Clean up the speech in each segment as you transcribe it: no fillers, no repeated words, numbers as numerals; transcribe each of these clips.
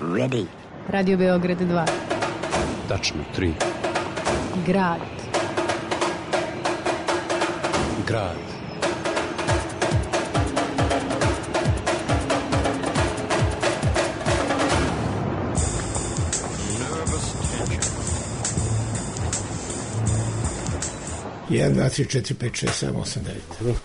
Ready. Radio Beograd 2. Tačno 3. Grad. Grad. Jedan, dva, tri, četiri, pet, šest, sedam, osam, devet.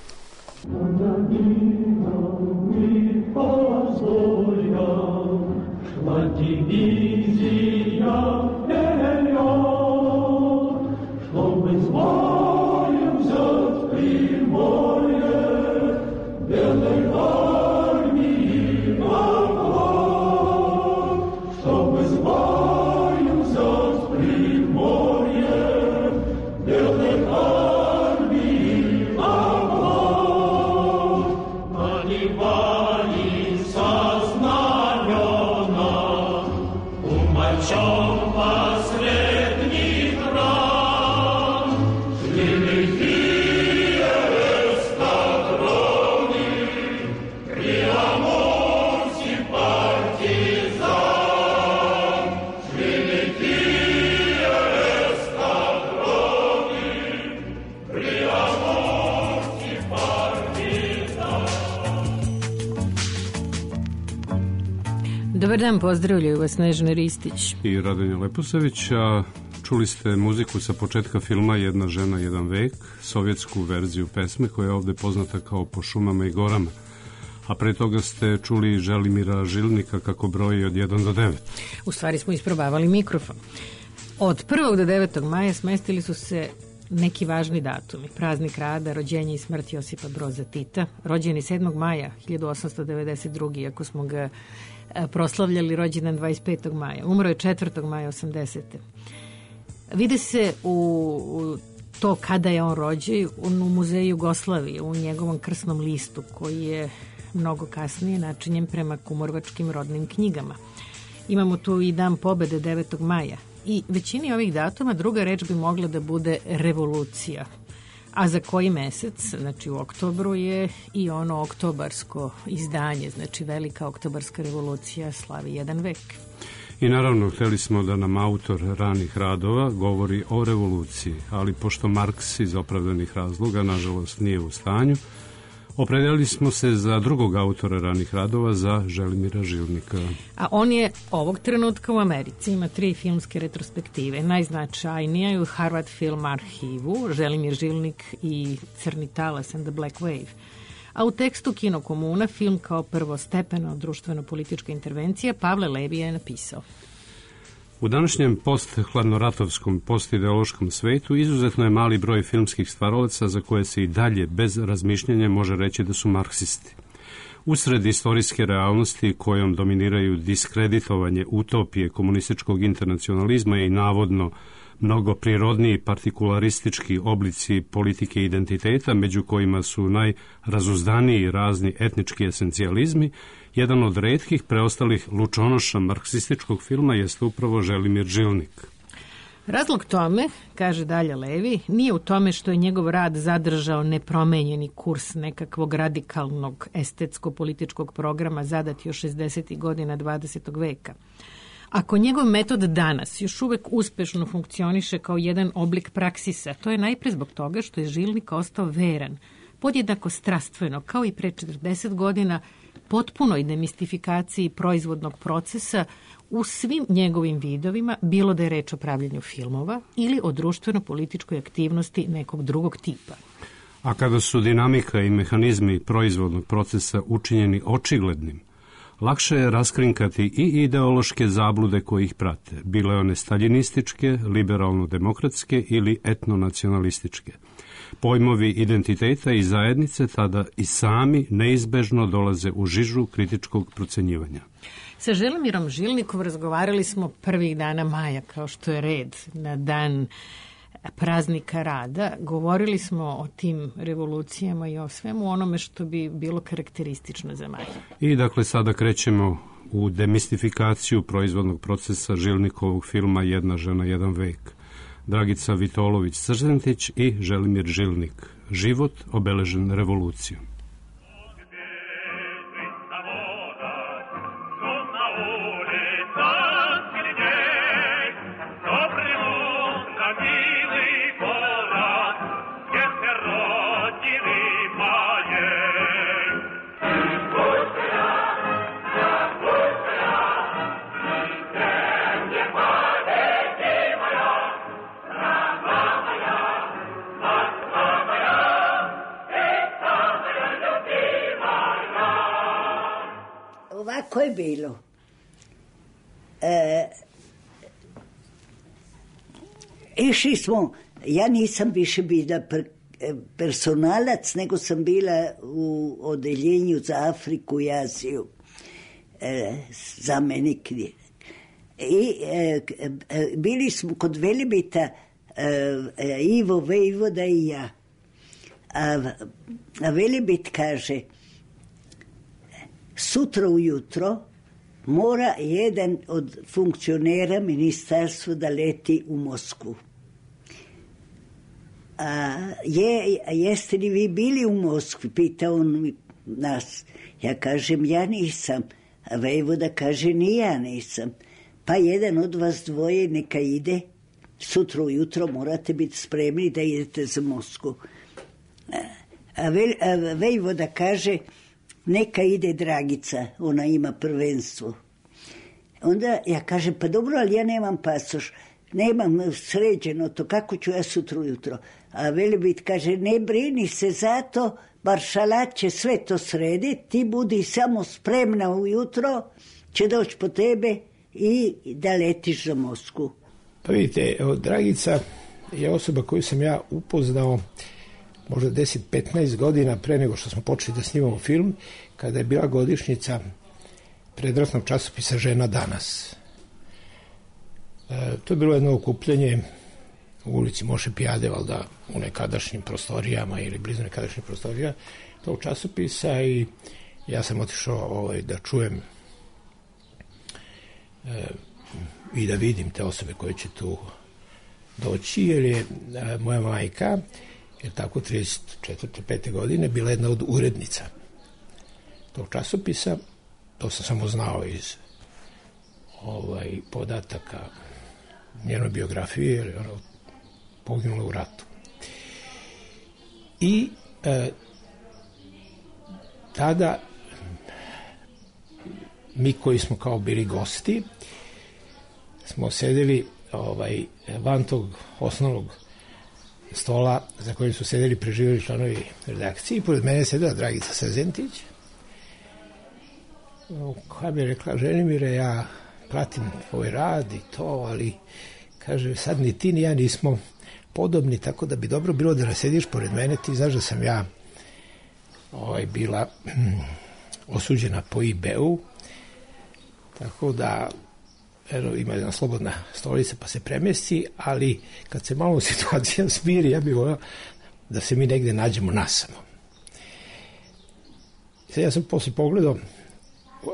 Dobar dan, pozdravljaju vas Snežana Ristić i Radomir Leposavić, a čuli ste muziku sa početka filma Jedna žena, jedan vek, sovjetsku verziju pesme koja je ovde poznata kao Po šumama i gorama, a pre toga ste čuli Želimira Žilnika kako broji od 1 do 9. U stvari smo isprobavali mikrofon. Od 1. do 9. maja smestili su se neki važni datumi. Praznik rada, rođenje i smrt Josipa Broza Tita, rođeni 7. maja 1892. Ako smo ga proslavljali rođendan 25. maja. Umro je 4. maja 80. Vide se u to kada je on rođen u Muzeju Jugoslavije, u njegovom krsnom listu koji je mnogo kasnije načinjen prema kumorvačkim rodnim knjigama. Imamo tu i Dan pobede 9. maja. I većini ovih datuma druga reč bi mogla da bude revolucija. A za koji mesec, znači u oktobru, je i ono oktobarsko izdanje, znači Velika oktobarska revolucija slavi jedan vek. I naravno, hteli smo da nam autor ranih radova govori o revoluciji, ali pošto Marks iz opravdanih razloga, nažalost, nije u stanju, opredelili smo se za drugog autora ranih radova, za Želimira Žilnika. A on je ovog trenutka u Americi, ima 3 filmske retrospektive. Najznačajnija je u Harvard Film arhivu, Želimir Žilnik i Crni talas and the Black Wave. A u tekstu Kino komuna, film kao prvostepena društveno-politička intervencija, Pavle Levi je napisao: U današnjem post-hladnoratovskom, postideološkom svetu izuzetno je mali broj filmskih stvaralaca za koje se i dalje bez razmišljanja može reći da su marksisti. Usred istorijske realnosti kojom dominiraju diskreditovanje utopije komunističkog internacionalizma i navodno mnogo prirodniji partikularistički oblici politike identiteta, među kojima su najrazuzdaniji razni etnički esencijalizmi, jedan od retkih preostalih lučonoša marksističkog filma jeste upravo Želimir Žilnik. Razlog tome, kaže dalje Levi, nije u tome što je njegov rad zadržao nepromenjeni kurs nekakvog radikalnog estetsko-političkog programa zadat još 60. godina 20. veka. Ako njegov metod danas još uvek uspešno funkcioniše kao jedan oblik praksisa, to je najpre zbog toga što je Žilnik ostao veran, podjednako strastveno, kao i pre 40 godina, potpunoj demistifikaciji proizvodnog procesa u svim njegovim vidovima, bilo da je reč o pravljenju filmova ili o društveno-političkoj aktivnosti nekog drugog tipa. A kada su dinamika i mehanizmi proizvodnog procesa učinjeni očiglednim, lakše je raskrinkati i ideološke zablude koje ih prate, bile one staljinističke, liberalno-demokratske ili etnonacionalističke. Pojmovi identiteta i zajednice tada i sami neizbežno dolaze u žižu kritičkog procenjivanja. Sa Želimirom Žilnikom razgovarali smo prvih dana maja, kao što je red, na dan praznika rada. Govorili smo o tim revolucijama i o svemu onome što bi bilo karakteristično za maj. I dakle sada krećemo u demistifikaciju proizvodnog procesa Žilnikovog filma Jedna žena, jedan vek. Dragica Vitolović-Crzentić i Želimir Žilnik. Život obeležen revolucijom. Kako je bilo? Išli smo, ja nisam više bila personalac, nego sam bila u odeljenju za Afriku i Aziju, zamenik. I bili smo kod Velibita, Ivo, Vejvoda i ja. A Velibit kaže, sutra ujutro mora jedan od funkcionera ministarstva da leti u Moskvu. Jeste li vi bili u Moskvi? Pita on nas. Ja kažem, ja nisam. A Vejvoda kaže, ni ja nisam. Pa jedan od vas dvoje neka ide. Sutra ujutro morate biti spremni da idete za Moskvu. A Vejvoda kaže, neka ide Dragica, ona ima prvenstvo. Onda ja kažem, pa dobro, ali ja nemam pasoš, nemam sređeno to, kako ću ja sutra ujutro? A Velibit kaže, ne brini se zato, Maršalat će sve to srediti, ti budi samo spremna ujutro, će doći po tebe i da letiš za Moskvu. Pa vidite, Dragica je osoba koju sam ja upoznao možda 10-15 godina pre nego što smo počeli da snimamo film, kada je bila godišnjica predratnog časopisa Žena danas. To je bilo jedno okupljanje u ulici Moše Pijade, valjda u nekadašnjim prostorijama ili blizu nekadašnjih prostorija tog časopisa, i ja sam otišao da čujem i da vidim te osobe koje će tu doći, jer je moja majka, jer tako 34. 5. godine, bila jedna od urednica tog časopisa. To sam samo znao iz podataka njenoj biografije, jer je ona poginula u ratu. I tada mi koji smo kao bili gosti smo sedeli van tog osnovnog stola za kojim su sedeli preživjeli članovi redakcije, i pored mene je sedela Dragica Sezentić, koja mi je rekla, Želimire, ja pratim tvoj rad i to, ali kaže, sad ni ti ni ja nismo podobni, tako da bi dobro bilo da sediš pored mene, ti znaš da sam ja bila osuđena po IB-u, tako da ima jedna slobodna stolica pa se premesti, ali kad se malo situacija smiri, ja bih volio da se mi negde nađemo nasamo. Sad ja sam posle pogledao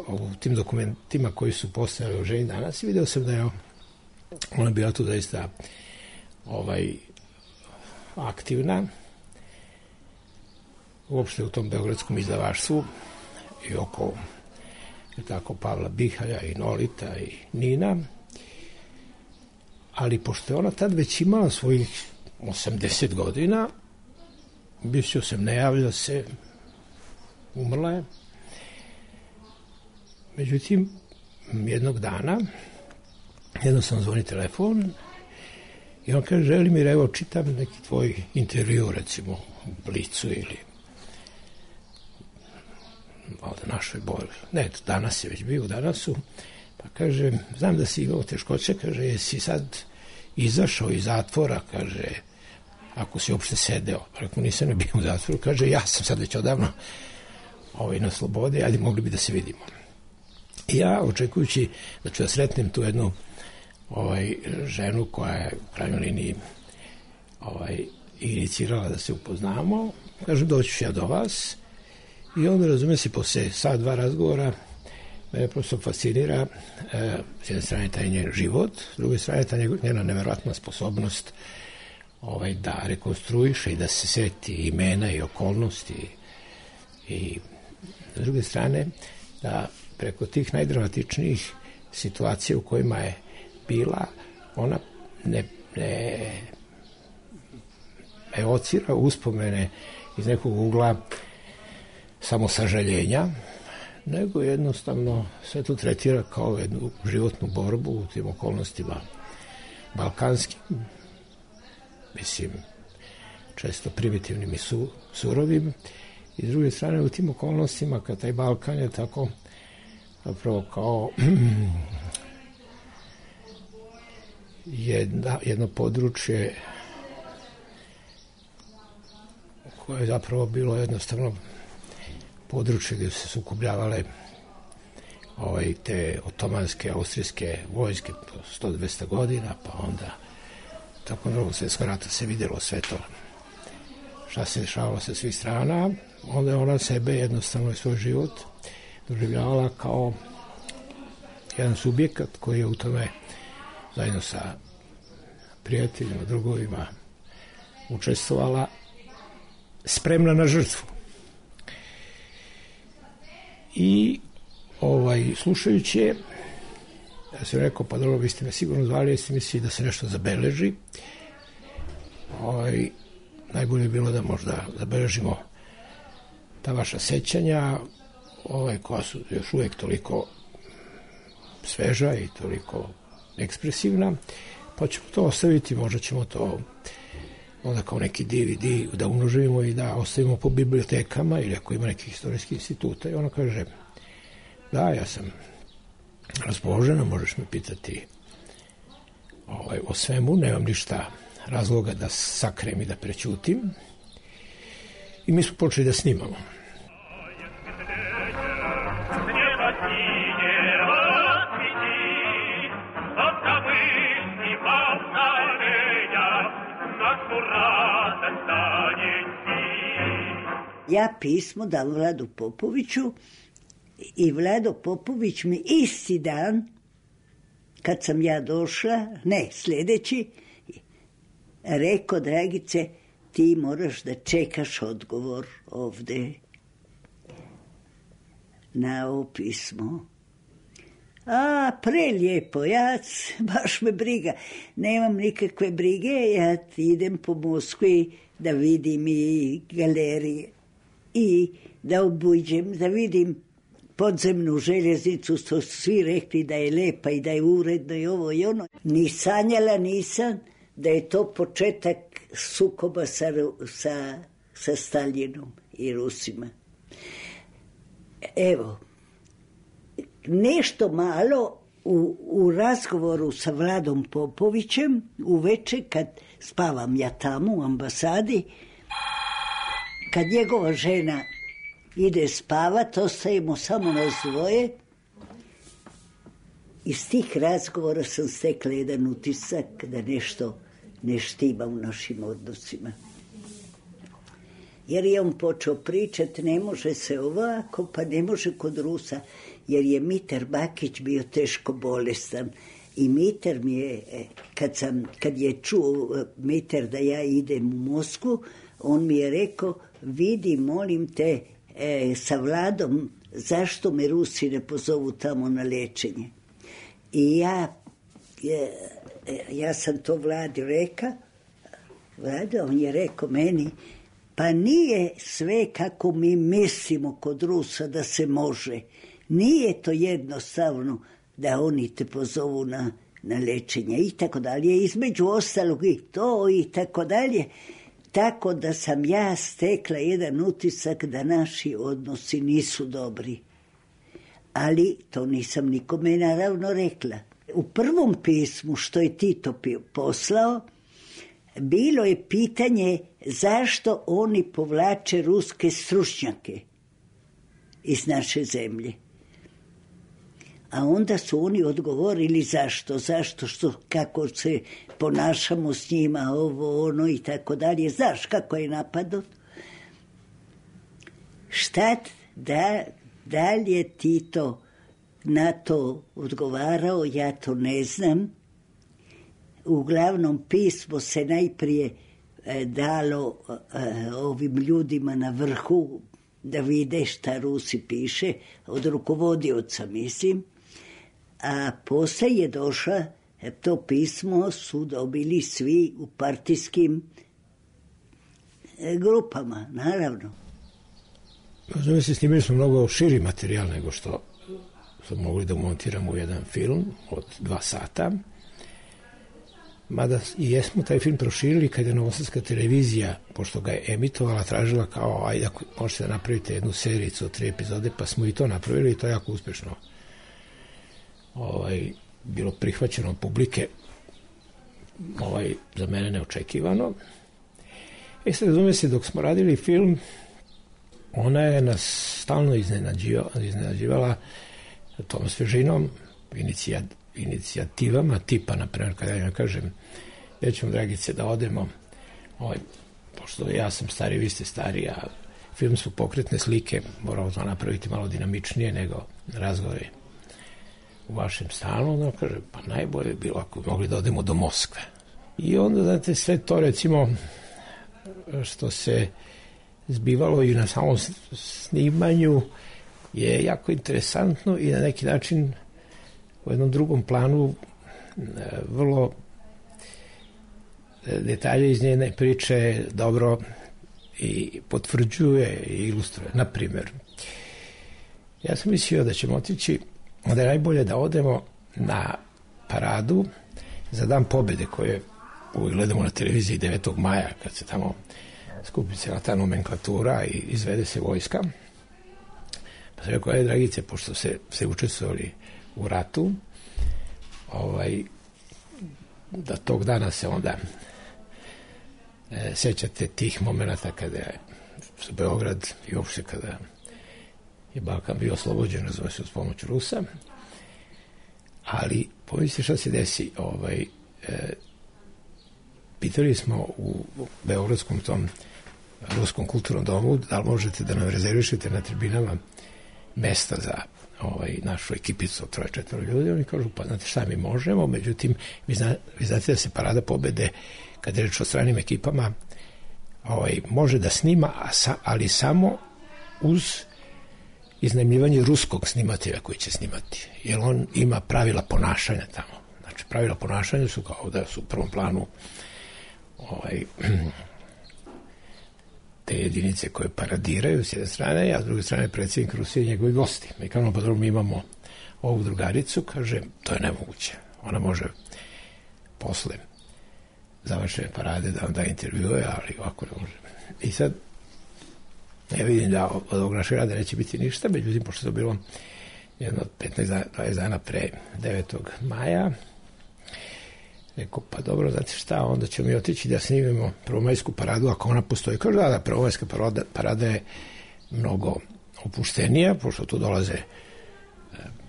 u tim dokumentima koji su postojali u Ženi danas i video sam da je ona bila tu zaista aktivna uopšte u tom beogradskom izdavaštvu i oko Pavla Bihalja i Nolita i Nina, ali pošto je ona tad već imala svojih 80 godina, mislio sam, ne javlja se, umrla je. Međutim, jednog dana jednostavno zvoni telefon i on kaže, Želimir, evo čitam neki tvoj intervju, recimo u Blicu ili ovdje našoj Bori. Ne, danas je već bio u Danasu, pa kaže, znam da si imao teškoće, kaže, jesi sad izašao iz zatvora, kaže, ako si uopšte sedeo. Rekao, nisam ne bio u zatvoru, kaže, ja sam sad već odavno na slobodi, ali mogli bi da se vidimo. I ja, očekujući da ću da sretnem tu jednu ženu koja je u krajnjoj liniji inicirala da se upoznamo, kažem, doći ću ja do vas. I onda, razume se, posle sat, dva razgovora, mene prosto fascinira s jedne strane taj njen život, s druge strane ta njena neverovatna sposobnost da rekonstruiše i da se seti imena i okolnosti, i s druge strane da preko tih najdramatičnijih situacija u kojima je bila, ona ne evocira uspomene iz nekog ugla samo sažaljenja, nego jednostavno sve to tretira kao jednu životnu borbu u tim okolnostima balkanskim, mislim, često primitivnim i surovim, i s druge strane u tim okolnostima kad taj Balkan je tako zapravo kao jedno područje koje je zapravo bilo jednostavno područje gdje su se sukobljavale te otomanske, austrijske vojske 100-200 godina, pa onda tako Drugog svjetskog rata se vidjelo sve to šta se dešavalo sa svih strana. Onda je ona sebe jednostavno i svoj život doživljavala kao jedan subjekat koji je u tome zajedno sa prijateljima, drugovima učestvovala, spremna na žrtvu. I slušajući je, ja sam rekao, pa dobro, vi ste me sigurno zvali, jeste mislili da se nešto zabeleži. Najbolje je bilo da možda zabeležimo ta vaša sećanja, koja su još uvijek toliko sveža i toliko ekspresivna, pa ćemo to ostaviti, možda ćemo to onda kao neki DVD da umnožimo i da ostavimo po bibliotekama ili ako ima nekih istorijskih instituta. I ona kaže, da, ja sam raspoložena, možeš me pitati o svemu, nemam ništa razloga da sakrem i da prećutim. I mi smo počeli da snimamo. Ja pismo dam Vladu Popoviću i Vlado Popović mi isti dan, kad sam ja došla, ne, sljedeći, rekao, Dragice, ti moraš da čekaš odgovor ovde na ovo pismo. A, prelijepo, ja, baš me briga, nemam nikakve brige, ja idem po Moskvi da vidim i galerije i da obuđem, da vidim podzemnu željeznicu, što su svi rekli da je lepa i da je uredno i ovo i ono. Ni sanjala nisam da je to početak sukoba sa Staljinom i Rusima. Evo, nešto malo u razgovoru sa Vladom Popovićem, uveče kad spavam ja tamo u ambasadi, kad njegova žena ide spavat, ostajemo samo nas dvoje. Iz tih razgovora sam stekla jedan utisak da nešto ne štima u našim odnosima. Jer je on počeo pričati, ne može se ovako, pa ne može kod Rusa, jer je Mitar Bakić bio teško bolestan. I Mitar mi je, kad je čuo Mitar da ja idem u Moskvu, on mi je rekao, vidi, molim te, sa Vladom, zašto me Rusi ne pozovu tamo na liječenje. I ja sam to Vladi reka, Vlada, on je rekao meni, pa nije sve kako mi mislimo kod Rusa da se može. Nije to jednostavno da oni te pozovu na liječenje i tako dalje. Između ostalog i to i tako dalje. Tako da sam ja stekla jedan utisak da naši odnosi nisu dobri. Ali to nisam nikome naravno rekla. U prvom pismu što je Tito poslao, bilo je pitanje zašto oni povlače ruske stručnjake iz naše zemlje. A onda su oni odgovorili zašto, kako se ponašamo s njima, ovo, ono i tako dalje. Znaš kako je napadot? Šta da li je Tito na to odgovarao, ja to ne znam. Uglavnom pismo se najprije dalo ovim ljudima na vrhu da vide šta Rusi piše, od rukovodioca mislim, a poslije je došla, to pismo su dobili svi u partijskim grupama, naravno. Snimili smo mnogo širi materijal nego što smo mogli da montiramo u jedan film od 2 sata. Mada i jesmo taj film proširili kad je Novosadska televizija, pošto ga je emitovala, tražila kao, ajde ako možete da napravite jednu sericu od 3 epizode, pa smo i to napravili i to je jako uspešno bilo prihvaćeno od publike, za mene neočekivano. I sad razume se, dok smo radili film, ona je nas stalno iznenađivala tom svežinom, inicijativama, tipa, naprimjer, kada ja kažem, ja ćemo, Dragice, da odemo, pošto ja sam stari, vi ste stari, a film su pokretne slike, moramo to napraviti malo dinamičnije nego razgovori u vašem stanu. Onda kaže, pa najbolje je bilo ako bi mogli da odemo do Moskve. I onda, znate, sve to, recimo, što se zbivalo i na samom snimanju je jako interesantno i na neki način u jednom drugom planu vrlo detalje iz njene priče dobro i potvrđuje i ilustruje. Naprimjer, ja sam mislio da ćemo otići, da je najbolje da odemo na paradu za Dan pobjede koje uvijek gledamo na televiziji 9. maja kad se tamo skupi cijela ta nomenklatura i izvede se vojska. Pa sam rekao, Dragice, pošto se učestvovali u ratu, da tog dana se onda sećate tih momenata kada je Beograd i uopšte kada je Balkan bio oslobođen, razumije se, uz pomoć Rusa. Ali pomislite šta se desi. Pitali smo u beogradskom tom Ruskom kulturnom domu da li možete da nam rezervišete na tribinama mesta za našu ekipicu od 3-4 ljudi. Oni kažu, pa znate šta, mi možemo, međutim, vi znate da se Parada pobede, kad je reč o stranim ekipama, može da snima, ali samo uz iznajmljivanje ruskog snimatelja koji će snimati, jer on ima pravila ponašanja tamo. Znači, pravila ponašanja su kao da su u prvom planu te jedinice koje paradiraju s jedne strane, a s druge strane predsjednik Rusije i njegovi gosti. Mi kao pa dobro, mi imamo ovu drugaricu, kaže, to je nemoguće. Ona može posle završene parade da vam da intervjue, ali ovako ne može. I sad, ja vidim da od ovog našeg rada neće biti ništa, međutim, pošto je to bilo jedno od 15-20 dana pre 9. maja, rekao, pa dobro, znate šta, onda ćemo mi otići da snimimo prvomajsku paradu, ako ona postoji. Kaže, da, prvomajska parada je mnogo opuštenija, pošto tu dolaze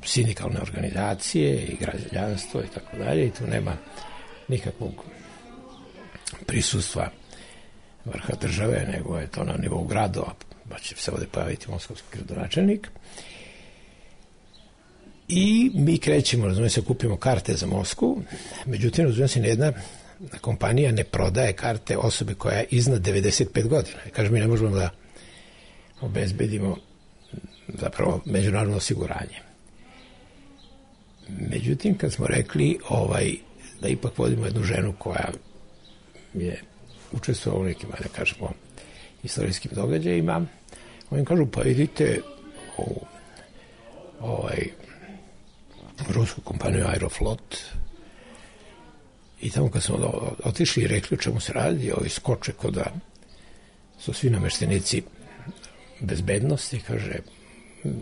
sindikalne organizacije i građanstvo i tako dalje, i tu nema nikakvog prisustva vrha države, nego je to na nivou gradova, pa će se ovde pojaviti moskovski gradonačelnik. I mi krećemo, razumije se, kupimo karte za Moskvu, međutim, razumije se, nijedna kompanija ne prodaje karte osobe koja je iznad 95 godina. Kaže, mi ne možemo da obezbedimo zapravo međunarodno osiguranje. Međutim, kad smo rekli da ipak vodimo jednu ženu koja je učestvovala u nekim, da kažemo, istorijskim događajima, oni kažu, pa idite u rusku kompaniju Aeroflot, i tamo kad smo otišli i rekli o čemu se radi, ovi skoče kod da su svi nameštenici bezbednosti, kaže,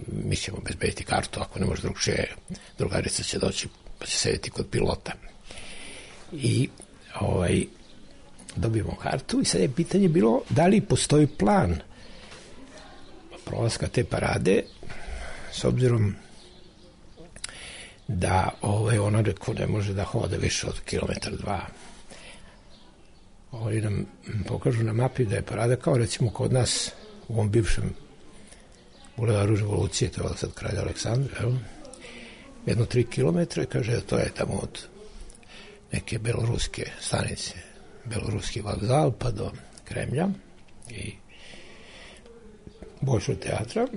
mi ćemo bezbediti kartu, ako ne može drugčije, drugarica će doći pa će sedeti kod pilota. I dobijemo kartu i sad je pitanje bilo da li postoji plan prolaska te parade, s obzirom da ona rekao ne može da hoda više od 1,2 km. Oni nam pokažu na mapi da je parada kao recimo kod nas u ovom bivšem bulevaru Revolucije, to je sad Kralja Aleksandra, jedno 3 km, kaže to je tamo od neke beloruske stanice, beloruski vokzal pa do Kremlja i Bolšoj teatra.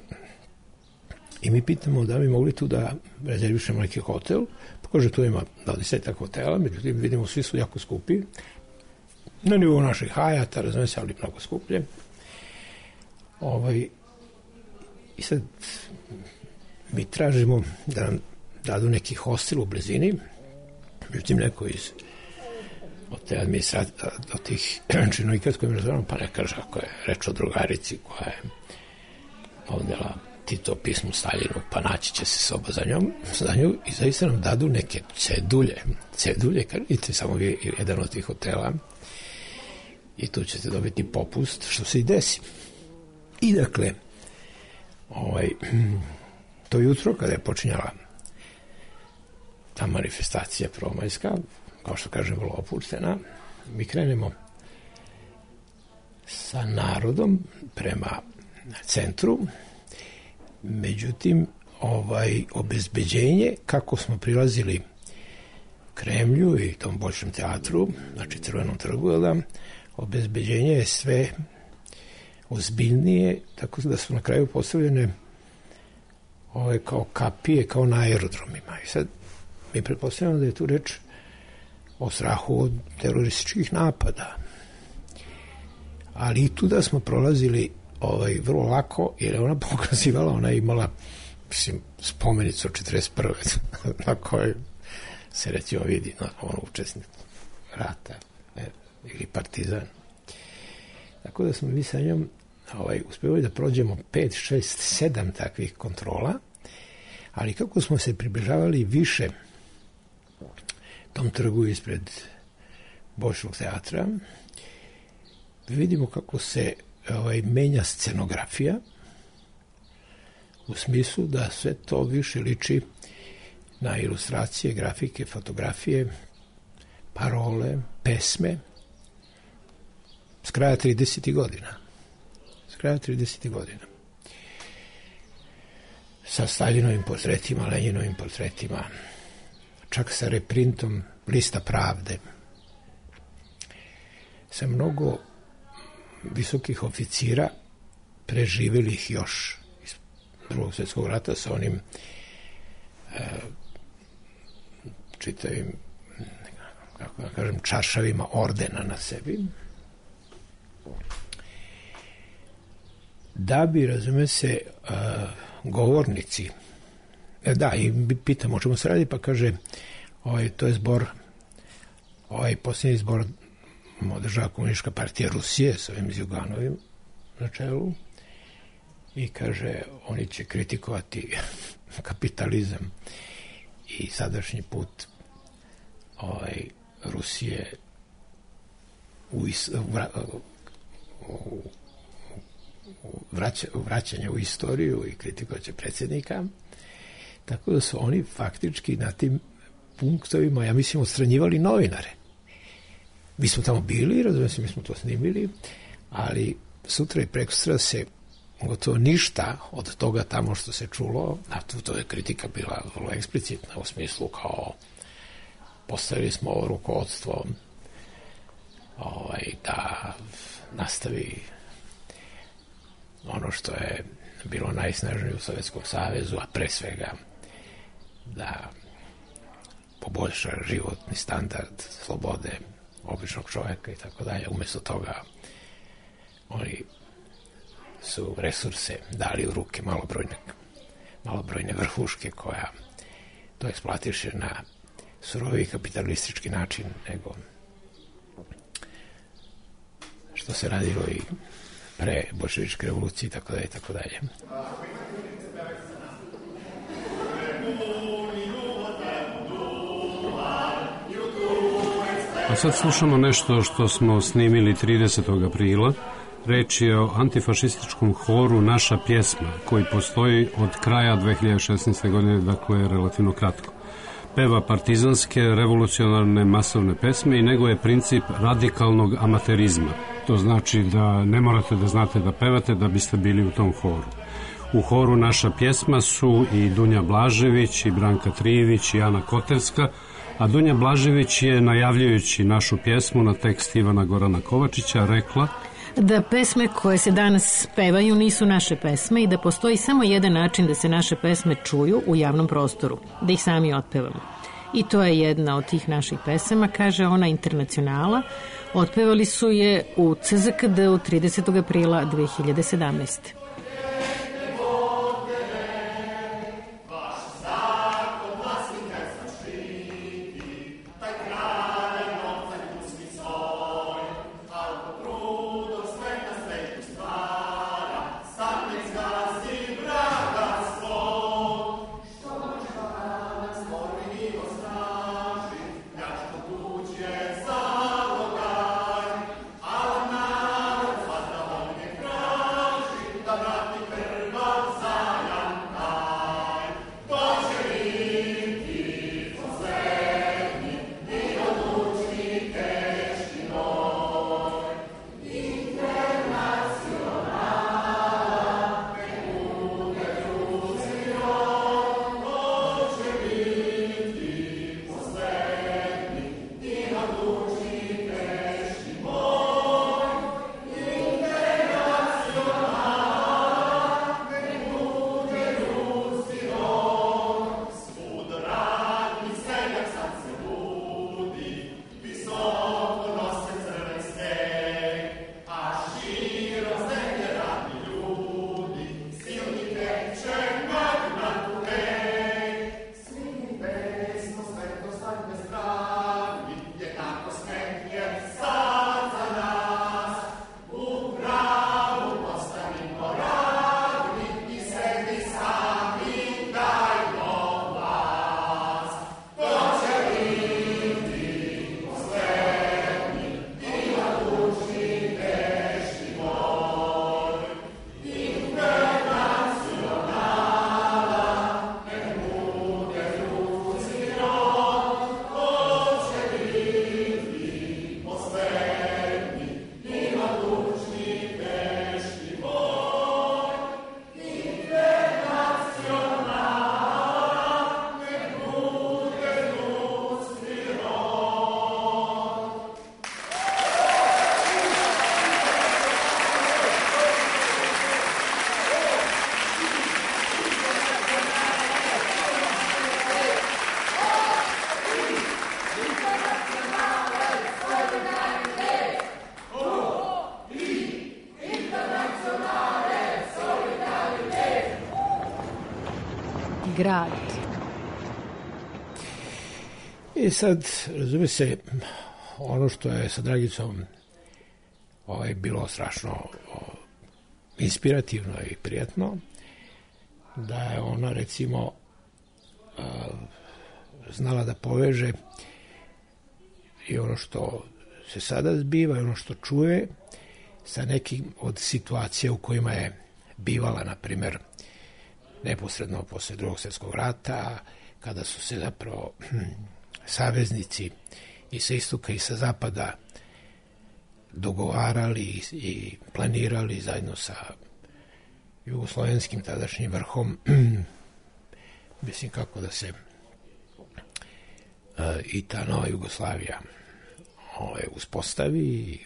I mi pitamo da bi mogli tu da rezervišemo neki hotel, pa kaže tu ima 20 hotela, međutim vidimo svi su jako skupi, na nivou naših Hajata, razumije se, ali mnogo skuplje. I sad mi tražimo da nam dadu neki hostel u blizini, međutim neko od te administracije, od tih činovnika s kojim razgovaramo, pa ne kaže ako je reč o drugarici koja je odnela Tito pismu Staljinu, pa naći će se soba za nju i zaista nam dadu neke cedulje, idite samo vi jedan od tih hotela i tu ćete dobiti popust, što se i desi. I dakle, to jutro kada je počinjala ta manifestacija prvomajska, kao što kažem, vrlo opuštena, mi krenemo sa narodom prema centru. Međutim, obezbeđenje, kako smo prilazili Kremlju i tom Boljšem teatru, znači Crvenom trgu, obezbeđenje je sve ozbiljnije, tako da su na kraju postavljene kao kapije, kao na aerodromima. I sad mi pretpostavljamo da je tu reč o strahu od terorističkih napada. Ali i tu da smo prolazili vrlo lako, jer je ona pokazivala, ona je imala spomenicu od 41. na kojoj se recimo vidi učesnik rata ili partizan. Tako da smo mi sa njom uspevali da prođemo 5, 6, 7 takvih kontrola, ali kako smo se približavali više tom trgu ispred Boljšeg teatra, vidimo kako se menja scenografija, u smislu da sve to više liči na ilustracije, grafike, fotografije, parole, pesme s kraja 30. godina. Sa Staljinovim portretima, Lenjinovim portretima, čak sa reprintom Lista pravde, sa mnogo visokih oficira preživjelih još iz Drugog svjetskog rata sa onim čitavim, kako da kažem, čaršavima ordena na sebi, da bi, razume se, govornici, i pitam o čemu se radi, pa kaže, to je zbor, posljednji zbor održava Komunistička partija Rusije s ovim Zjuganovim na čelu i kaže, oni će kritikovati kapitalizam i sadašnji put Rusije vraćanje u istoriju i kritikovaće predsjednika. Tako da su oni faktički na tim punktovima, ja mislim, odstranjivali novinare. Mi smo tamo bili, razumijem se, mi smo to snimili, ali sutra i prekosutra se gotovo ništa od toga tamo što se čulo, a to je kritika bila vrlo eksplicitna u smislu kao postavili smo ovo rukovodstvo da nastavi ono što je bilo najsnažnije u Sovjetskom savezu, a pre svega da poboljša životni standard, slobode običnog čovjeka i tako dalje. Umjesto toga oni su resurse dali u ruke malobrojne vrhuške koja to eksploatiše na surovi kapitalistički način nego što se radilo i pre boljševičke revolucije i tako dalje i tako dalje. A sad slušamo nešto što smo snimili 30. aprila. Reč je o antifašističkom horu Naša pjesma, koji postoji od kraja 2016. godine, dakle relativno kratko. Peva partizanske, revolucionarne, masovne pesme i nego je princip radikalnog amaterizma. To znači da ne morate da znate da pevate da biste bili u tom horu. U horu Naša pjesma su i Dunja Blažević, i Branka Trijević, i Ana Koterska, a Dunja Blažević je, najavljujući našu pjesmu na tekst Ivana Gorana Kovačića, rekla da pesme koje se danas pevaju nisu naše pesme i da postoji samo jedan način da se naše pesme čuju u javnom prostoru, da ih sami otpevamo. I to je jedna od tih naših pesama, kaže ona, Internacionala. Otpevali su je u CZKD-u 30. aprila 2017. grad. I sad, razume se, ono što je sa Dragicom bilo strašno inspirativno i prijatno, da je ona, recimo, znala da poveže i ono što se sada zbiva i ono što čuje sa nekim od situacija u kojima je bivala, na primjer, neposredno posle Drugog svjetskog rata, kada su se zapravo saveznici i sa istoka i sa zapada dogovarali i planirali zajedno sa jugoslovenskim tadašnjim vrhom, mislim kako da se i ta nova Jugoslavija uspostavi i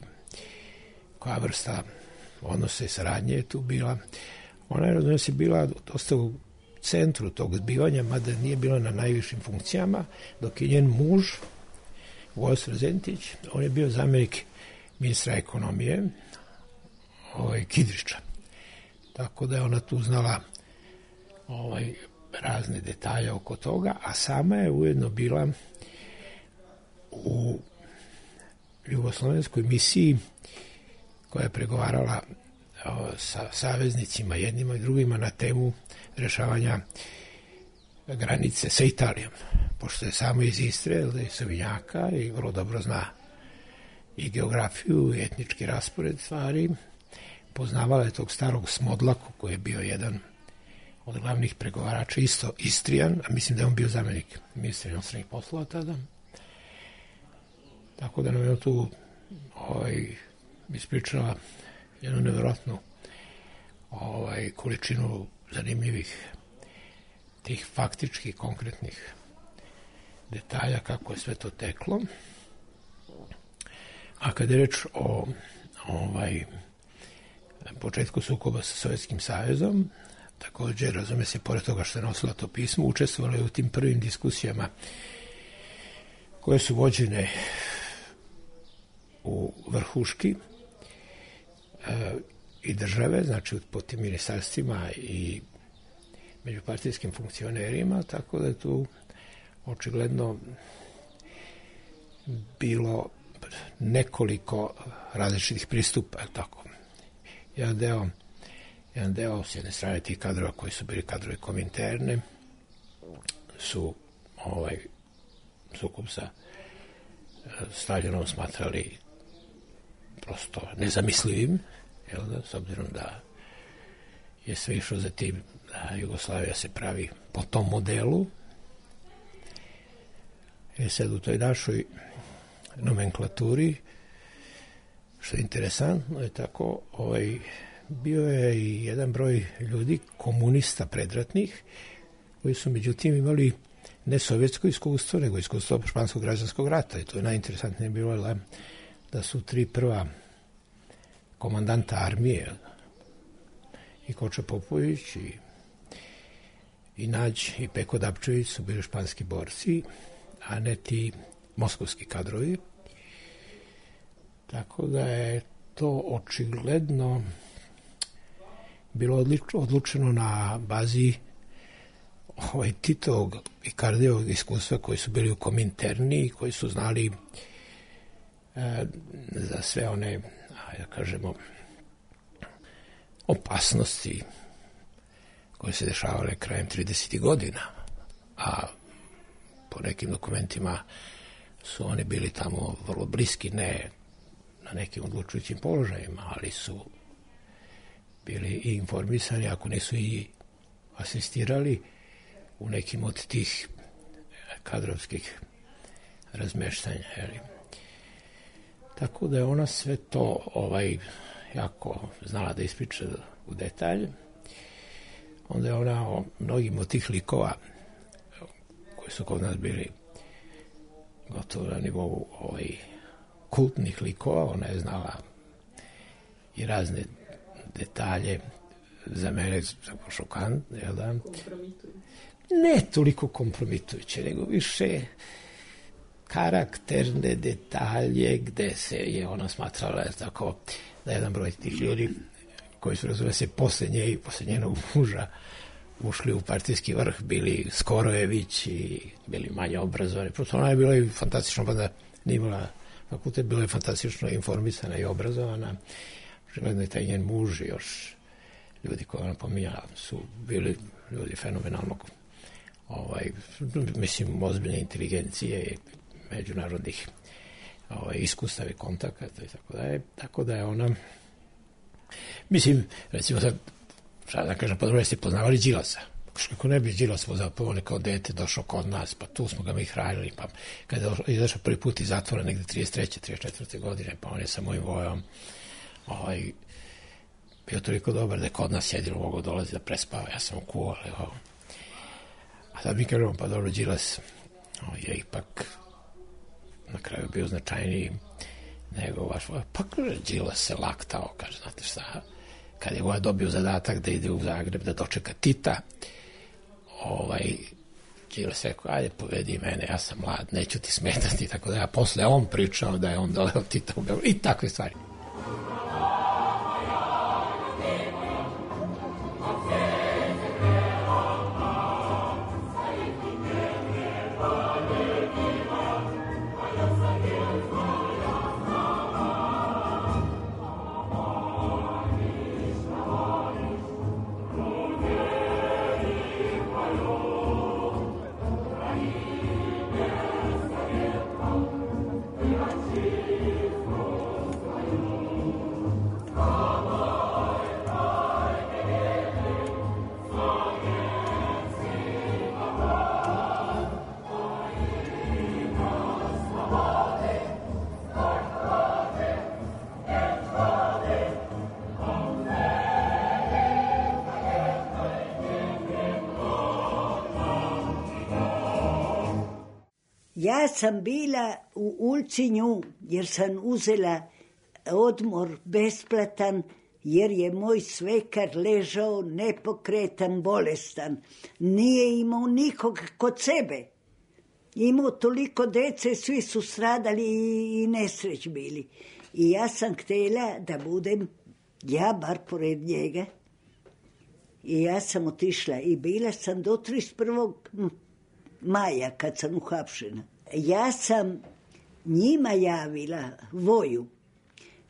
koja vrsta odnose i saradnje je tu bila. Ona je, razumije se, bila dosta u centru tog zbivanja, mada nije bila na najvišim funkcijama, dok je njen muž, Vojislav Zentić, on je bio zamjenik ministra ekonomije, Kidriča. Tako da je ona tu znala razne detalje oko toga, a sama je ujedno bila u jugoslovenskoj misiji koja je pregovarala sa saveznicima jednima i drugima na temu rešavanja granice sa Italijom. Pošto je samo iz Istre, iz Savinjaka i vrlo dobro zna i geografiju i etnički raspored stvari, poznavala je tog starog Smodlaku koji je bio jedan od glavnih pregovarača, isto Istrijan, a mislim da je on bio zamjenik ministra inostranih poslova tada. Tako da nam je tu ispričala jednu nevjerojatnu količinu zanimljivih tih faktičkih, konkretnih detalja kako je sve to teklo. A kad je reč o početku sukoba sa Sovjetskim savezom, također, razume se, pored toga što je nosila to pismo, učestvovala je u tim prvim diskusijama koje su vođene u vrhuški i države, znači po tim ministarstvima i međupartijskim funkcionerima, tako da je tu očigledno bilo nekoliko različitih pristupa, tako. Jedan deo s jedne strane tih kadrova koji su bili kadrovi Kominterne su sukob sa Staljinom smatrali prosto nezamislivim, s obzirom da je sve išlo za tim da Jugoslavija se pravi po tom modelu. Sad u toj našoj nomenklaturi, što je interesantno, je tako, bio je i jedan broj ljudi, komunista predratnih, koji su međutim imali ne sovjetsko iskustvo, nego iskustvo španskog građanskog rata. I to je najinteresantnije bilo da su 3 prva komandanta armije, i Koča Popović, i Nađ, i Peko Dapčević su bili španski borci, a ne ti moskovski kadrovi. Tako da je to očigledno bilo odlučeno na bazi Titovog i Kardijevog iskustva koji su bili u Kominterni i koji su znali za sve one, da kažemo, opasnosti koje se dešavale krajem 30. godina, a po nekim dokumentima su oni bili tamo vrlo bliski, ne na nekim odlučujućim položajima, ali su bili i informisani, ako nisu i asistirali u nekim od tih kadrovskih razmeštanja. Tako da je ona sve to jako znala da ispriča u detalj. Onda je ona o mnogim od tih likova koji su kod nas bili gotovo na nivou kultnih likova, ona je znala i razne detalje, za mene šokant, jel da? Ne toliko kompromitujuće, nego više karakterne detalje gde se je ona smatrala tako da jedan broj tih ljudi koji su, razume se, posle nje i posle njenog muža ušli u partijski vrh, bili Skorojević i bili manje obrazovani. Prosto ona je bila i fantastično, pa da nije imala fakultet, bila je fantastično informisana i obrazovana. Želedno je taj njen muž i još ljudi koje ona pominjala su bili ljudi fenomenalnog mislim, ozbiljne inteligencije i međunarodnih iskustava i kontakata i tako da je. Tako da je ona, mislim, recimo sad da kažem, po druge ste poznavali Đilasa. Kako ne bi Đilas zapravo kao dete došao kod nas, pa tu smo ga mi hranili, pa kada je izašao prvi put iz zatvora negde 33. 34. godine, pa on je sa mojim vojom bio toliko dobar da je kod nas jedino mogo dolazi da prespava, ja sam kuvao, a sad mi kažemo, pa dobro, Đilas je ipak na kraju bio značajniji nego vaš vojom. Pa kaže, Đilas se laktao, kaže, znate šta, kad je dobio zadatak da ide u Zagreb da dočeka Tita, Đilas rekao, ajde povedi mene, ja sam mlad, neću ti smetati, tako da ja posle on pričao da je on doleo Tita u Beograd i takve stvari. Ja sam bila u Ulcinju jer sam uzela odmor besplatan jer je moj svekar ležao nepokretan, bolestan. Nije imao nikog kod sebe. Imao toliko dece, svi su stradali i nesreć bili. I ja sam htjela da budem ja bar pored njega. I ja sam otišla i bila sam do 31. maja kad sam uhapšena. Ja sam njima javila voju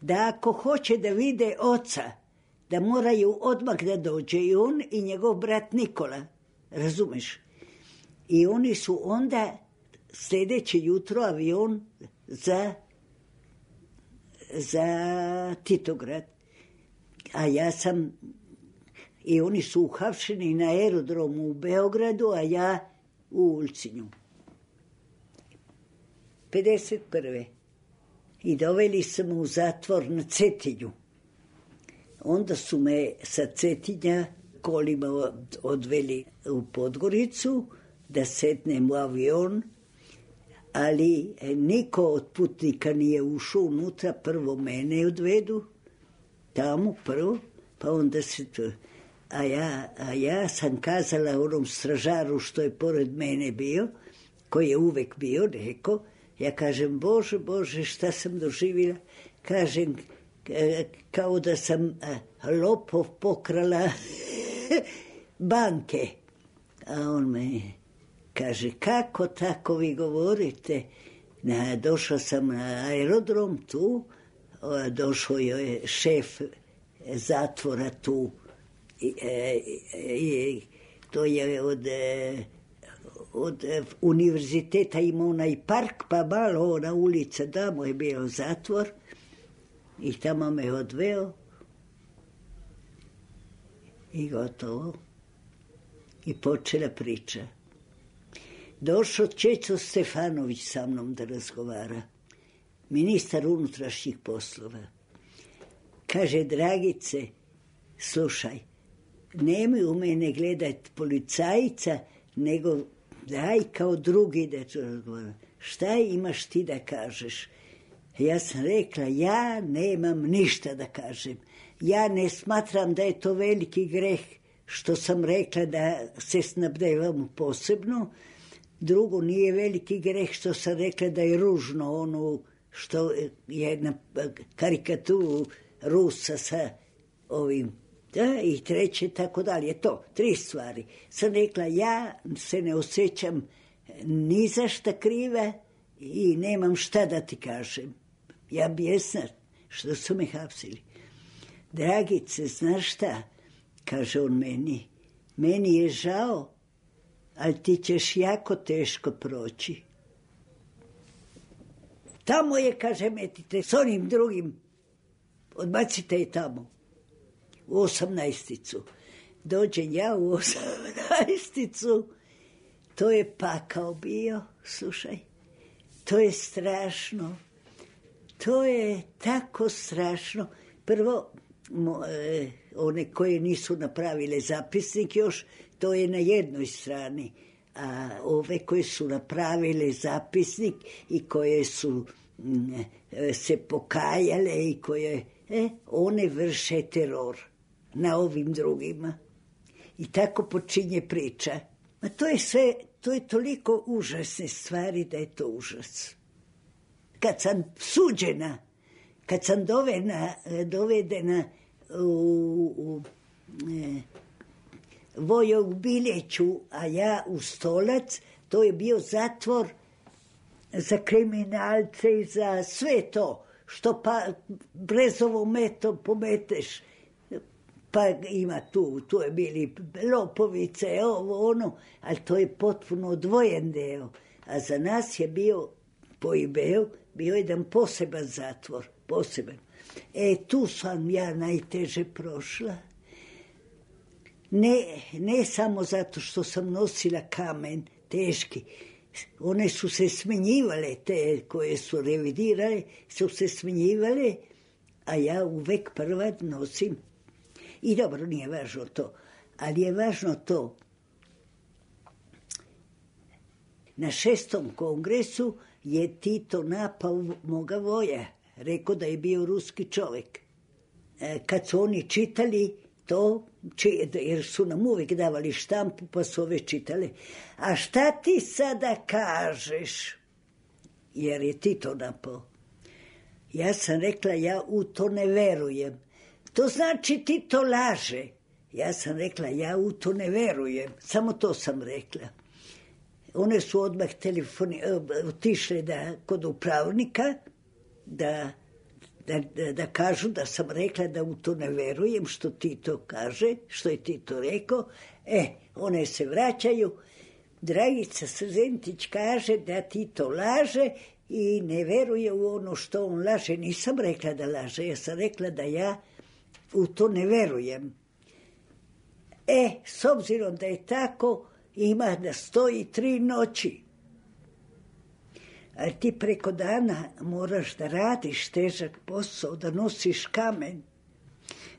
da ako hoće da vide oca, da moraju odmah da dođe i on i njegov brat Nikola, razumeš? I oni su onda sljedeće jutro avion za Titograd. A ja sam, i oni su uhapšeni na aerodromu u Beogradu, a ja u Ulcinju. 51. I doveli su me u zatvor na Cetinju. Onda su me sa Cetinja kolima odveli u Podgoricu da sednem u avion, ali niko od putnika nije ušao unutra, prvo mene odvedu, tamo prvo, pa onda se to... A ja sam kazala onom stražaru što je pored mene bio, koji je uvek bio, rekao, ja kažem, Bože, šta sam doživjela? Kažem, kao da sam lopov pokrala banke. A on me kaže, kako tako vi govorite? Došao sam na aerodrom tu, došao je šef zatvora tu, to je od univerziteta imao onaj park, pa malo ona ulica, tamo je bio zatvor i tamo me odveo i gotovo. I počela priča. Došao Čeco Stefanović sa mnom da razgovara, ministar unutrašnjih poslova. Kaže, Dragice, slušaj, nemoj u mene gledat policajca, nego daj kao drugi da to razgovara. Šta imaš ti da kažeš? Ja sam rekla, ja nemam ništa da kažem. Ja ne smatram da je to veliki greh što sam rekla da se snabdevam posebno. Drugo, nije veliki greh što sam rekla da je ružno ono što je na karikaturu Rusa sa ovim Da, i treće, tako dalje. To, 3 stvari. Sam rekla, ja se ne osjećam ni za šta kriva i nemam šta da ti kažem. Ja bijesna što su me hapsili. Dragice, znaš šta? Kaže on meni. Meni je žao, ali ti ćeš jako teško proći. Tamo je, kaže, metite s onim drugim. Odbacite je tamo. U 18. Dođem ja u 18. To je pakao bio, slušaj. To je strašno. To je tako strašno. Prvo, one koje nisu napravile zapisnik još, to je na jednoj strani. A ove koje su napravile zapisnik i koje su se pokajale i koje, one vrše teror na ovim drugima. I tako počinje priča. Ma to je sve, to je toliko užasne stvari da je to užas. Kad sam suđena, kad sam dovedena u Vojo u Biljeću, a ja u Stolac, to je bio zatvor za kriminalce i za sve to, što brezovom metom pometeš. Pa ima tu je bili lopovice, ovo, ono, ali to je potpuno odvojen deo. A za nas je bio, po IB-u, bio jedan poseban zatvor, poseban. Tu sam ja najteže prošla. Ne samo zato što sam nosila kamen teški, one su se smenjivale, te koje su revidirale, su se smenjivale, a ja uvek prva nosim. I dobro, nije važno to, ali je važno to. Na 6. kongresu je Tito napao moga voja, rekao da je bio ruski čovjek. Kad su oni čitali to, jer su nam uvijek davali štampu, pa su ove čitale. A šta ti sada kažeš? Jer je Tito napao. Ja sam rekla, ja u to ne verujem. To znači Tito laže. Ja sam rekla, ja u to ne verujem. Samo to sam rekla. One su odmah otišle kod upravnika da kažu da sam rekla da u to ne verujem što Tito kaže, što je Tito rekao. One se vraćaju. Dragica Srzentić kaže da Tito laže i ne veruje u ono što on laže. Nisam rekla da laže, ja sam rekla da ja u to ne verujem. S obzirom da je tako, ima da stoji 3 noći. Ali ti preko dana moraš da radiš težak posao, da nosiš kamen.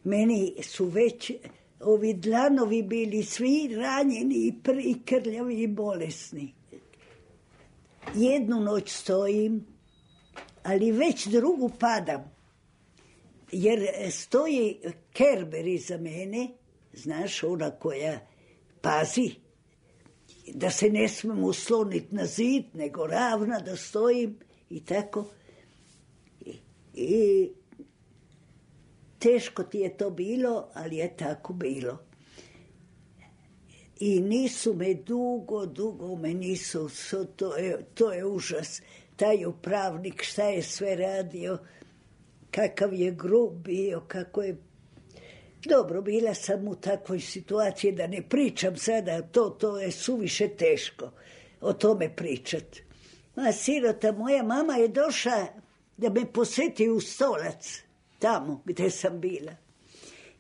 Meni su već ovi dlanovi bili svi ranjeni i krljavi i bolesni. 1 noć stojim, ali već drugu padam. Jer stoji Kerber iza mene, znaš, ona koja pazi, da se ne smem usloniti na zid, nego ravna da stojim i tako. I teško ti je to bilo, ali je tako bilo. I nisu me dugo me nisu, to je užas. Taj upravnik šta je sve radio, kakav je grub bio, kako je... Dobro, bila sam u takvoj situaciji da ne pričam sada, to je suviše teško o tome pričat. Sirota, moja mama je došla da me posjeti u Stolac, tamo gdje sam bila.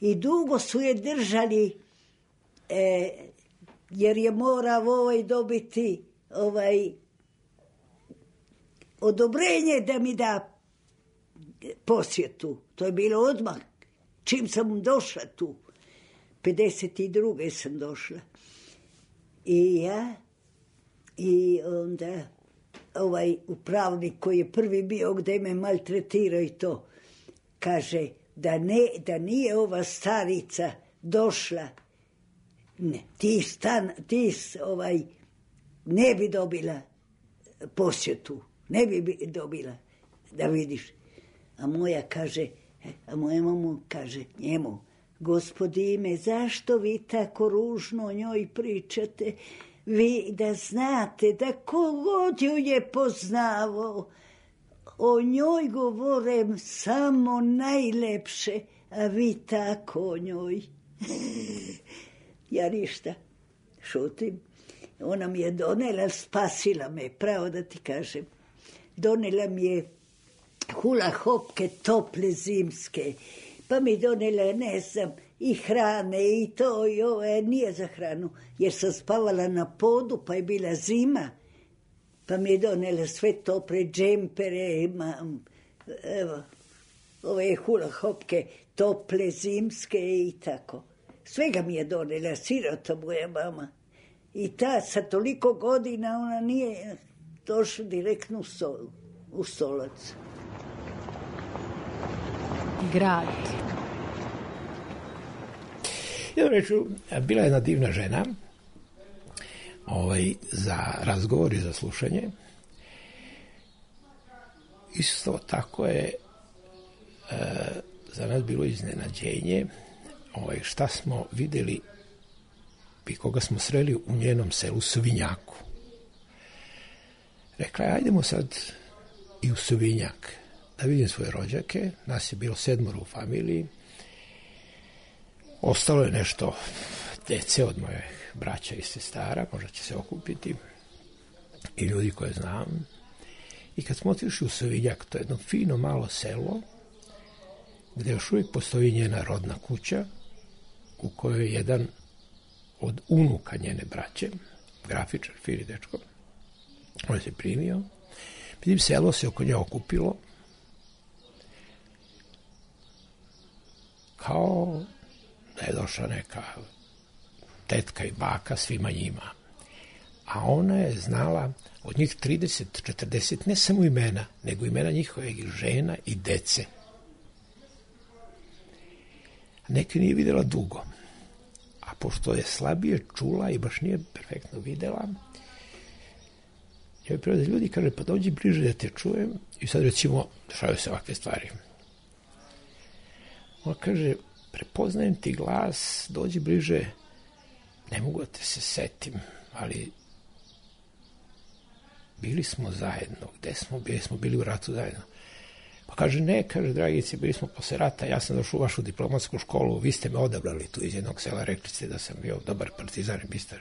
I dugo su je držali, jer je morao dobiti odobrenje da mi da posjetu. To je bilo odmah. Čim sam došla tu, 52. sam došla. I ja, i onda upravnik koji je prvi bio gdje me maltretirao i to, kaže da nije ova starica došla, ne bi dobila posjetu, ne bi dobila, da vidiš. A moja kaže, a moja mama kaže njemu, gospodine, zašto vi tako ružno o njoj pričate? Vi da znate da kogod ju je poznavao, o njoj govorem samo najlepše, a vi tako o njoj. Ja ništa, šutim. Ona mi je donela, spasila me, pravo da ti kažem. Donela mi je hula hopke tople zimske, pa mi donela, ne znam, i hrane i to i ovo, nije za hranu, jer sam spavala na podu, pa je bila zima, pa mi je donela sve tople džempere, evo, ove hula hopke tople zimske i tako. Svega mi je donela, sirota moja mama. I ta sa toliko godina ona nije došla direktno u Stolac. Grad. Ja reču, bila je jedna divna žena za razgovor i za slušanje. Isto tako je za nas bilo iznenađenje šta smo videli i koga smo sreli u njenom selu Svinjaku. Rekla je, ajdemo sad i u Svinjak da vidim svoje rođake. Nas je bilo 7 u familiji. Ostalo je nešto dece od moje braća i sestara, možda će se okupiti, i ljudi koje znam. I kad smo otišli u Svinjak, to je jedno fino malo selo, gde još uvijek postoji njena rodna kuća, u kojoj je jedan od unuka njene braće, grafičar, fini dečko, on se primio. Vidim, selo se oko nje okupilo, kao da je došla neka tetka i baka svima njima. A ona je znala od njih 30-40, ne samo imena, nego imena njihovih žena i dece. Neke nije videla dugo. A pošto je slabije čula i baš nije perfektno videla, joj privode ljudi, kaže, pa dođi bliže da te čujem. I sad recimo, dešavaju se ovakve stvari. Ona kaže, prepoznajem ti glas, dođi bliže, ne mogu da te se setim, ali bili smo zajedno. Gde smo bili? Smo bili u ratu zajedno. Pa kaže, ne, kaže, dragici, bili smo posle rata, ja sam došao u vašu diplomatsku školu, vi ste me odabrali tu iz jednog sela, rekli ste da sam bio dobar partizan i bistar.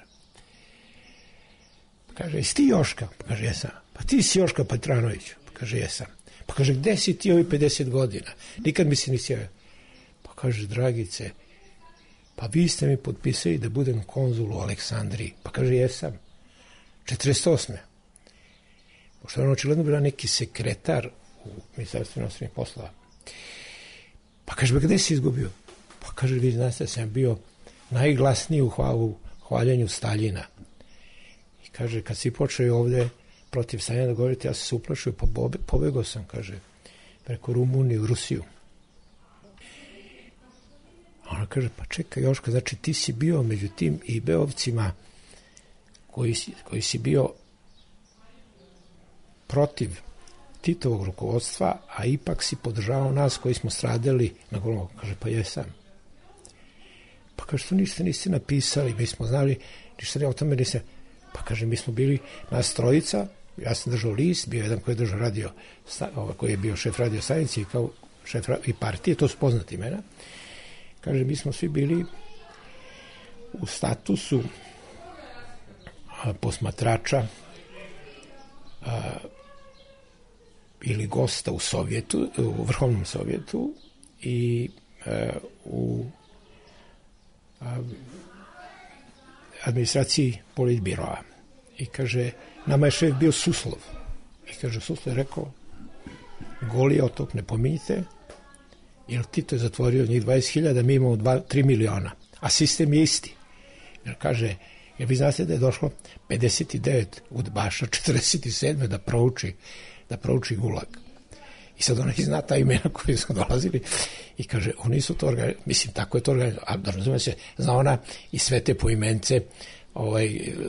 Pa kaže, jesi ti Joška? Pa kaže, jesam. Pa ti si Joška Petranović? Pa kaže, jesam. Pa kaže, gde si ti ovi 50 godina? Nikad mi se nisi javio. Pa kaže, dragice, pa vi ste mi potpisali da budem konzul u Aleksandriji. Pa kaže, jesam. 48. Pošto je ono očigledno bila neki sekretar u Ministarstvu inostranih poslova. Pa kaže, gde si izgubio? Pa kaže, vi znate da sam bio najglasniji u hvaljenju Staljina. I kaže, kad si počeo ovde protiv Staljina da govorite, ja sam se uplašio, pa pobegao sam, kaže, preko Rumunije u Rusiju. A ona kaže, pa čekaj Joška, znači ti si bio među tim i beovcima koji si bio protiv Titovog rukovodstva, a ipak si podržavao nas koji smo stradali na Golom. Kaže, pa jesam. Pa kaže, to ništa niste napisali, mi smo znali, ništa o tome niste. Pa kaže, mi smo bili nas trojica, ja sam držao list, bio jedan koji je držao radio, koji je bio šef radio stanice i kao šef i partije, to su poznati imena. Kaže, mi smo svi bili u statusu posmatrača ili gosta u Sovjetu, u Vrhovnom Sovjetu i u administraciji politbiroa. I kaže, nama je šef bio Suslov. I kaže, Suslov je rekao, Goli otok ne pominjite, jer Tito je zatvorio njih 20.000, mi imamo 3 miliona. A sistem je isti. Jer kaže, jer vi znate da je došlo 59 udbaša 47. da prouči Gulag. I sad ona zna ta imena koji su dolazili i kaže, oni su to organizovali, mislim, tako je to organizovali, a razume se, zna ona i sve te poimence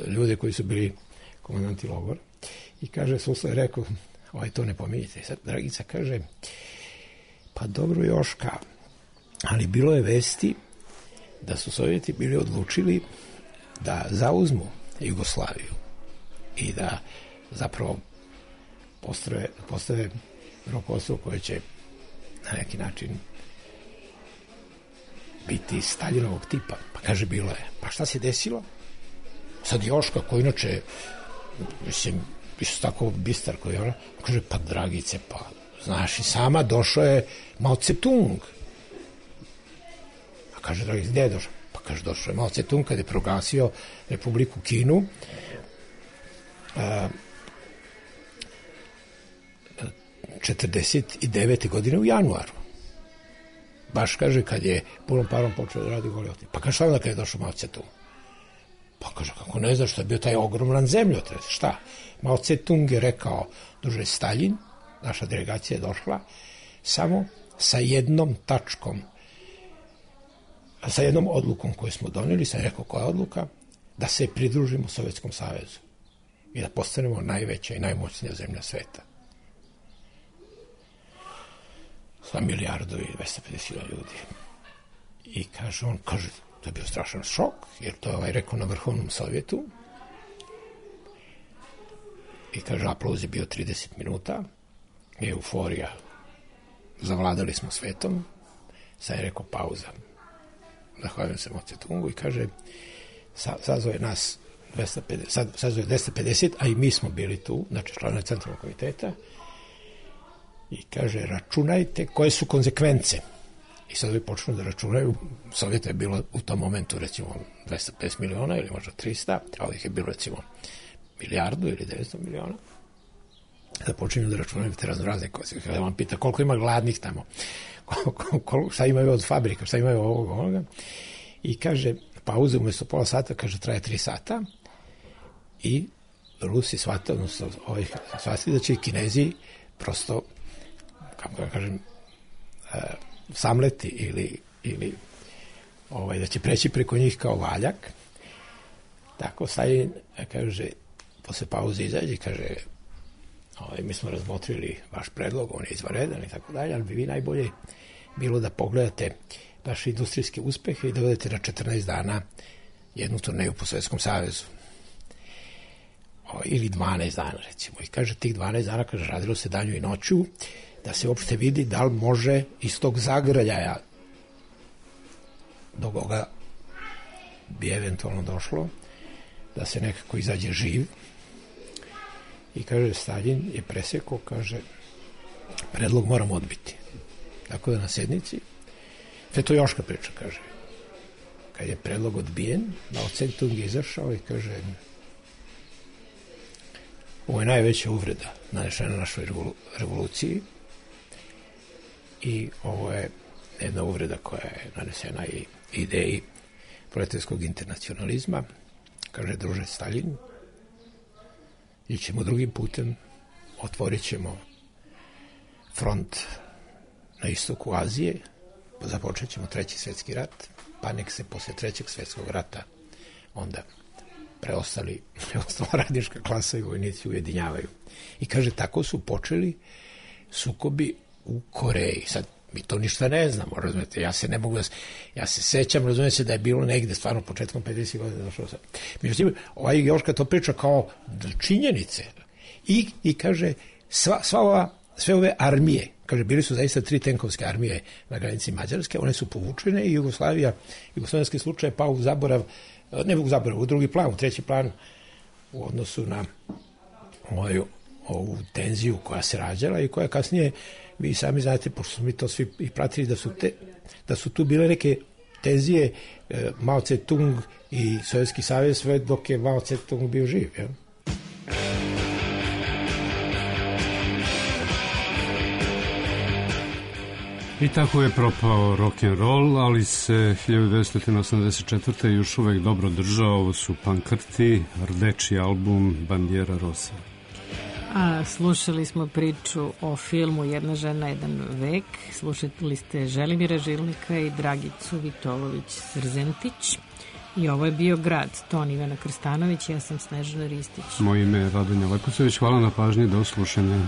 ljude koji su bili komandanti logora. I kaže, Suslo je rekao, to ne pominjite. I sad Dragica kaže, pa dobro Joška, ali bilo je vesti da su Sovjeti bili odlučili da zauzmu Jugoslaviju i da zapravo postave rukovodstvo koje će na neki način biti Staljinovog tipa. Pa kaže, bilo je. Pa šta se desilo? Sad Joška, koji inače, mislim, isto tako bistar koji je ona, kaže, pa Dragice, pa znaš i sama, došao je Mao Tse-tung. A kaže, Dragice, gde je došao? Pa kaže, došao je Mao Tse-tung kada je proglasio Republiku Kinu 49. godine u januaru. Baš kaže, kad je punom parom počeo da radi Golgota. Pa kaže, šta onda kad je došao Mao Tse-tung? Pa kaže, kako ne znaš, što je bio taj ogroman zemljotres. Šta? Mao Tse-tung je rekao, druže Staljin, naša delegacija je došla, samo sa jednom tačkom, sa jednom odlukom koju smo doneli, sam rekao koja je odluka, da se pridružimo Sovjetskom savezu i da postanemo najveća i najmoćnija zemlja sveta. Sa milijardu i 250.000 ljudi. I kaže, on kaže, to je bio strašan šok, jer to je rekao na Vrhovnom Sovjetu. I kaže, aplauz je bio 30 minuta, euforija, zavladali smo svetom, sad je rekao pauza. Zahvaljujem se Mao Tse-tungu i kaže, sazove nas 250, a i mi smo bili tu, znači članovi Centralnog komiteta, i kaže, računajte koje su konsekvence. I sad vi počnu da računaju, Sovjeta je bilo u tom momentu recimo 250 miliona ili možda 300, a ovih je bilo recimo milijardu ili 900 miliona. Da počinju da računaju te razne konsekvence. Kada vam pita koliko ima gladnih tamo, šta imaju od fabrika, šta imaju ovoga. I kaže, pauze umjesto pola sata, kaže, traje 3 sata i Rusi shvatili, odnosno shvatili da će i Kinezi prosto, kako da kažem, samleti ili da će preći preko njih kao valjak. Tako Stalin kaže, posle pauze izađe i kaže, mi smo razmotrili vaš predlog, on je izvanredan i tako dalje, ali bi vi najbolje bilo da pogledate vaše industrijske uspehe i da odete na 14 dana jednu turneju po Sovjetskom savezu. Ili 12 dana, recimo. I kaže, tih 12 dana, kaže, radilo se danju i noću, da se uopšte vidi da li može iz tog zagrljaja do koga bi eventualno došlo, da se nekako izađe živ. I kaže, Stalin je presekao, kaže, predlog moramo odbiti. Tako da na sednici, sve to Joška priča, kaže, kad je predlog odbijen, Mao Tse-tung je izašao i kaže, ovo je najveća uvreda nanešena našoj revoluciji i ovo je jedna uvreda koja je nanesena i ideji proletarskog internacionalizma. Kaže, druže Stalin, ićemo drugim putem, otvorit ćemo front na istoku Azije, započet ćemo 3. svjetski rat, pa nek se posle 3. svjetskog rata onda preostala radnička klasa i vojnici ujedinjavaju. I kaže, tako su počeli sukobi u Koreji. Sad, mi to ništa ne znamo, razumete, ja se sećam, razumete, da je bilo negde stvarno početkom 50 godina došlo sad. Međutim, Joška to priča kao činjenice. I kaže, sve ove armije, kaže, bili su zaista 3 tenkovske armije na granici Mađarske, one su povučene i jugoslovenski slučaj pao u zaborav, ne u zaborav, u drugi plan, u 3. plan u odnosu na ovu tenziju koja se rađala i koja kasnije, vi sami znate, pošto smo mi to svi i pratili, da su tu bile neke tenzije Mao Tse-tung i Sovjetski savez sve dok je Mao Tse-tung bio živ, jel? I tako je propao rock'n'roll, ali se 1984. još uvek dobro držao. Ovo su Pankrti, rdeči album Bandiera Rosa. A slušali smo priču o filmu Jedna žena, jedan vek. Slušali ste Želimira Žilnika i Dragicu Vitolović-Srzentić. I ovo je bio Grad, ton Ivana Krstanović, ja sam Snežana Ristić. Moje ime je Radonja Leposević, hvala na pažnji, do slušanja.